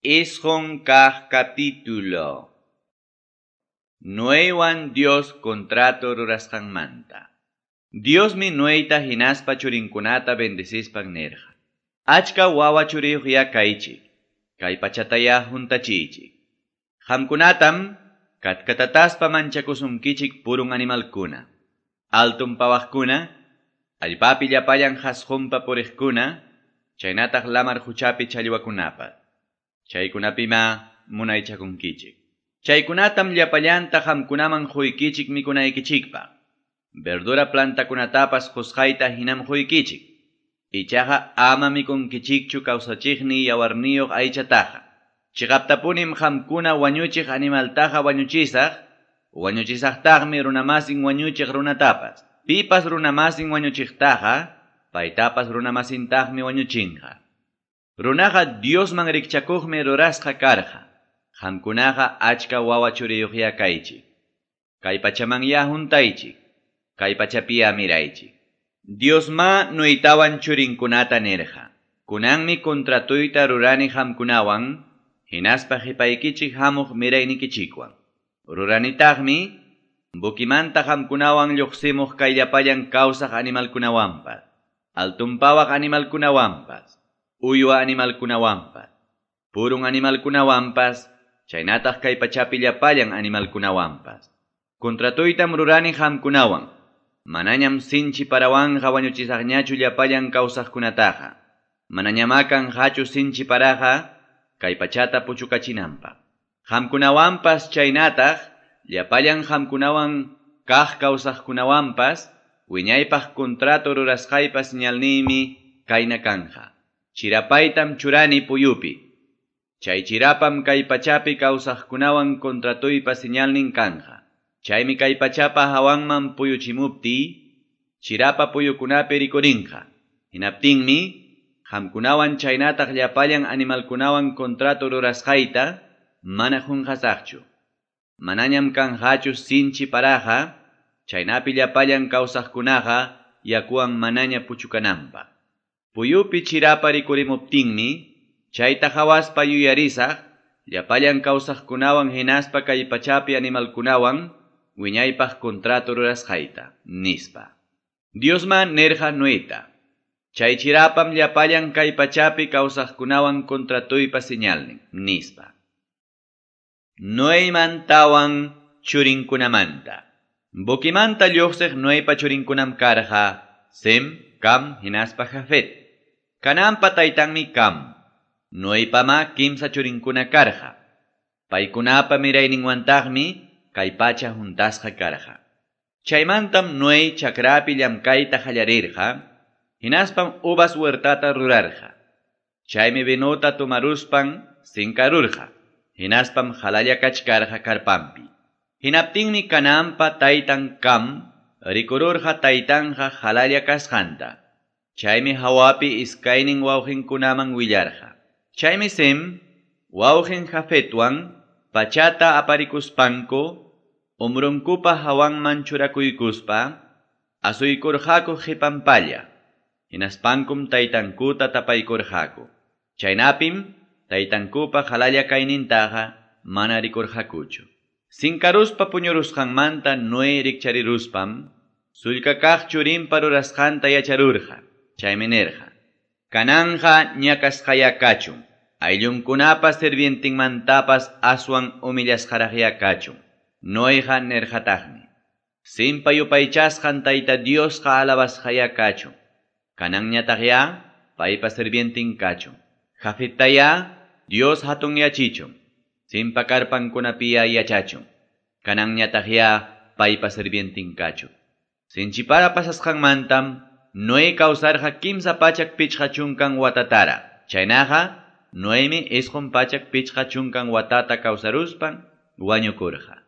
9 kaq capítulo. Noeywan Dios contrato rurasqanmanta. Diosmi Noeyta hinaspa churinkunata bendecispan nirqa: Achka wawa churiyuqyá kaychik, kay pachatayá huntachiychik. Qamkunatam katkatataspa manchakusunkichik purun animalkuna, alton pawaqkuna, allpapi llapallan qasqunpa puriqkuna, chaynataq lamar quchapi challwakunapas. Chaykunapimá munaychakunkichik. Chaykunatam llapallanta qamkunaman quykichik mikunaykichikpaq. Verdura plantakunatapas qusqayta hinam quykichik. Ichaqa ama mikunkichikchu kawsachiqni yawarniyuq aychataqa. Chiqaptapunim qamkuna wañuchiq animaltaqa wañuchisaq, wañuchisaqtaqmi runamasin wañuchiq runatapas. Pipas runamasin wañuchiqtaqa, paytapas runamasintaqmi wañuchinqa. Runaqa Diosman rikchakuqmi rurasqa karqa. Qamkunaqa achka wawa churiyuqyá kaychik. Kay pachamanyá huntaychik. Kay pachapiyá miraychik. Diosmá Noeytawan churinkunata nirqa: Kunanmi contratuyta rurani qamkunawan, hinaspa qipaykichik hamuq miraynikichikwan. Ruranitaqmi buquimanta qamkunawan lluqsimuq kay llapallan kawsaq animalkunawanpas, altunpawaq animalkunawanpas, uywa animalkunawanpas, purun animalkunawanpas, chaynataq kay pachapi llapallan animalkunawanpas. Contratuytam rurani qamkunawan. Manañam sinchi parawanqa wañuchisaqñachu llapallan kawsaqkunataqa. Manañamá kanqachu sinchi paraqa kay pachata puchukachinanpaq. Qamkunawanpas chaynataq llapallan qamkunawan kaq kawsaqkunawanpas wiñaypaq contrato rurasqaypa señalniymi kayna kanja. Chirapaytam churani puyupi. Chay chirapam kay pachapi kawsaqkunawan contratuypa señalnin kanja. Chaymi kay pachapa hawanman puyuchimuptiy, chirapa puyukunapi rikurinqa. Hinaptinmi, qamkunawan chaynataq llapallan animalkunawan contrato rurasqayta mana qunqasaqchu. Manañam kanqachu sinchi paraqa, chaynapi llapallan kawsaqkunaqa yakuwan manaña puchukananpaq. Puyupi chirapa rikurimuptinmi, chayta qhawaspa yuyarisaq, llapallan kawsaqkunawan hinaspa kay pachapi animalkunawan wiñaypaq contrato rurasqayta, nispa. Diosmá nirqa Noeyta: Chay chirapam llapallan kay pachapi kawsaqkunawan contratuypa señalnin, nispa. Noeymantawan churinkunamanta. Buquimanta lluqsiq Noeypa churinkunam karqa Sem, Cam hinaspa Jafet. Canaanpa taytanmi Cam. Noeypamá kimsa churinkuna karqa. Paykunapa mirayninwantaqmi kay pacha huntasqa karqa. Chaymantam Noey chakrapi llamkayta qallarirqa, hinaspam uvas huertata rurarqa. Chaymi vinota tomaruspan sinkarurqa, hinaspam qalalla kachkarqa karpanpi. Hinaptinmi Canaanpa taytan Cam rikururqa taytanqa qalalla kasqanta. Chaymi hawapi iskaynin wawqinkunaman willarqa. Chaymi Sem wawqin Jafetwan pachata aparikuspanku umrunkupa hawanman churakuykuspa asuykurqaku qipanpalla. Hinaspankum taytankuta tapaykurqaku. Chaynapim taytankupa qalalla kaynintaqa mana rikurqakuchu. Sinkaruspa puñurusqanmanta Noé rikchariruspam sullka kaq churinpa rurasqanta yacharurqa. Chaymi nirqa: Kananqa ñakasqayá kachun, ayllunkunapa sirvientinmantapas aswan humillasqaraqyá kachun. Noeyqa nirqataqmi: Sempa yupaychasqan Tayta Diosqa alabasqayá kachun. Kananñataqyá paypa sirvientin kachun. Jafettayá Dios hatunyachichun. Sempa karpankunapiyá yachachun. Kananñataqyá paypa sirvientin kachun. Sinchipara pasasqanmantam Noé kawsarqa 350 watatara. Chaynaqa Noeymi 950 watata kawsaruspan wañukurqa.